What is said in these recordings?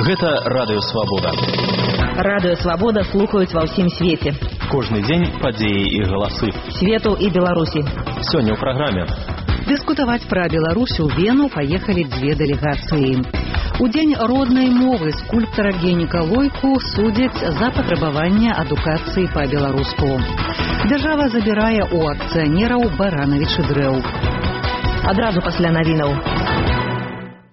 Гэта Радыё Свабода. Радыё Свабода слухаюць ва ўсім свеце. Кожны дзень падзеі і галасы. Свету і Беларусі. Сёння ў праграме. Дыскутаваць пра Беларусь у Вену паехалі дзве дэлегацыі. У дзень роднай мовы скульптара Геніка Лойку судзяць за патрабаванне адукацыі па-беларуску. Дзяржава забірае у акцыянераў баранавічы дрэў. Адразу пасля навінаў.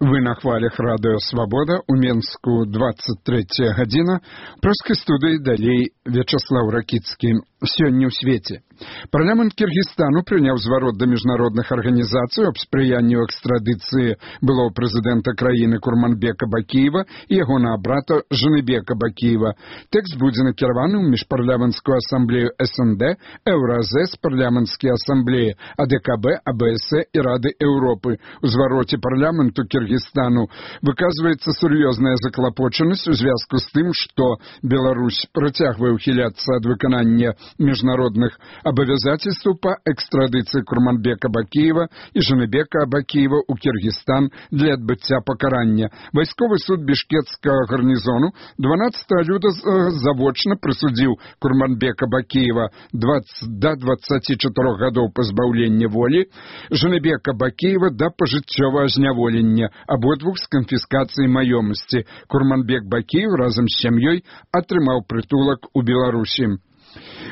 Вы на хвалях Радыё Свабода, у Менску 23 гадзіна. Прускай студыі далей Вячаслаў Ракіцкі. Сёння ў свеце. Парламент Кіргізстану прыняў зварот да міжнародных арганізацый аб спрыянню экстрадыцыі былого прэзідэнта краіны Курманбека Бакіева і ягонага брата Жаныбека Бакіева. Тэкст будзе накіраваны ў міжпарламенцкую асамблею СНД, Еўразэс, парламенцкія асамблеі АДКБ, АБС і Рады Еўропы. У звароце парламенту Кіргізстану выказваецца сур'ёзная заклапочанасць у звязку з тым, што Беларусь працягвае ўхіляцца ад выканання міжнародных абавязательстваў па экстрадыцыі Курманбека Бакіева і Жаныбека Бакіева ў Кіргізстан для адбыцця пакарання. Вайсковы суд бішкекскага гарнізону 12 люда завочна прысудзіў Курманбека Бакіева да 24 гадоў пазбаўлення волі, Жаныбека Бакіева да пажыццёвага зняволення, абодвух з канфіскацыяй маёмасці. Курманбек Бакіев разам з сям'ёй атрымаў прытулак у Беларусі.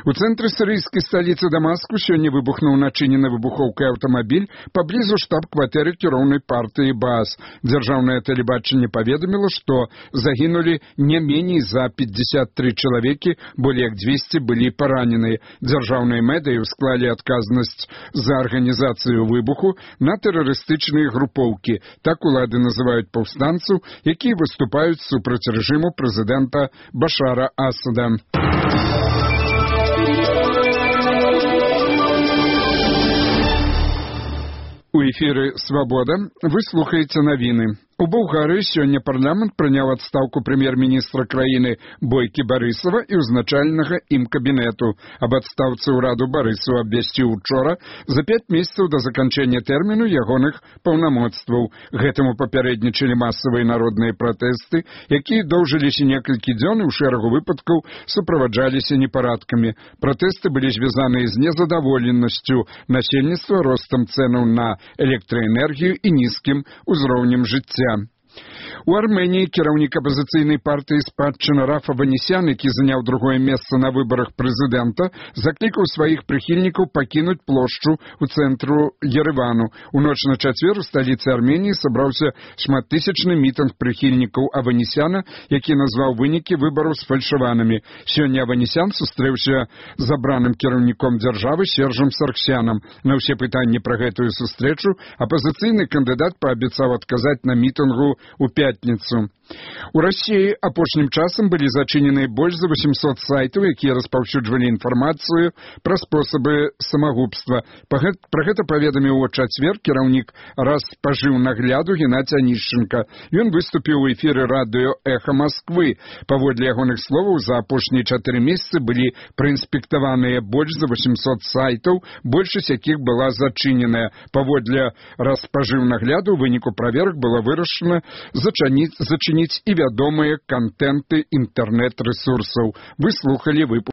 У цэнтры сірыйскай сталіцы Дамаску сёння выбухнуў начынены выбухоўкай аўтамабіль паблізу штаб-кватэры кіроўнай партыі БААС. Дзяржаўнае тэлебачанне паведаміла, што загінулі не меней за 53 чалавекі, болей як 200 былі параненыя. Дзяржаўныя медыі ўсклалі адказнасць за арганізацыю выбуху на тэрарыстычныя групоўкі. Так улады называюць паўстанцаў, якія выступаюць супраць рэжыму прэзідэнта Башара Асада. У эфіры «Свабода» вы слухаеце навіны. У Болгарыі сёння парламент прыняў адстаўку прэм'ер-міністра краіны Бойкі Барысава і ўзначальнага ім кабінету. Аб адстаўцы ўраду Барысаў абвясціў учора за 5 месяцаў да заканчэння тэрміну ягоных паўнамоцтваў. Гэтаму папярэднічалі масавыя народныя пратэсты, якія доўжыліся некалькі дзён і ў шэрагу выпадкаў суправаджаліся непарадкамі. Пратэсты былі звязаныя з незадаволенасцю насельніцтва, ростам цэнаў на электраэнергію і нізкім узроўнем жыцця. У Арменіі кіраўнік апазіцыйнай партыі «Спадчына» Рафа Аванесян, які заняў другое месца на выбарах прэзідэнта, заклікаў сваіх прыхільнікаў пакінуць плошчу ў цэнтру Еревану. У ноч на чацвер у сталіцы Арменіі сабраўся шматтысячны мітынг прыхільнікаў Аванесяна, які назваў вынікі выбараў сфальшаванымі. Сёння Аванесян сустрэўся з абраным кіраўніком дзяржавы Сержам Сарксянам. На ўсе пытанні пра гэтую сустрэчу апазіцыйны кандыдат паабяцаў адказаць на мітынгу у пятніцу. У Расіі апошнім часам былі зачыненыя больш за 800 сайтаў, якія распаўсюджвалі інфармацыю пра спосабы самагубства. Пра гэта паведаміў у чацвер кіраўнік Распажыўнагляду Геннадзь Анішченка. Ён выступіў у эфіры радыё «Эхо Москвы». Паводле ягоных словаў, за апошнія 4 месяцы былі праінспектаваныя больш за 800 сайтаў, большасць якіх была зачыненая. Паводле Распажыўнагляду, у выніку праверак было вырашана зачыніць і вядомыя кантэнты інтэрнэт-рэсурсаў. Вы слухалі выпуск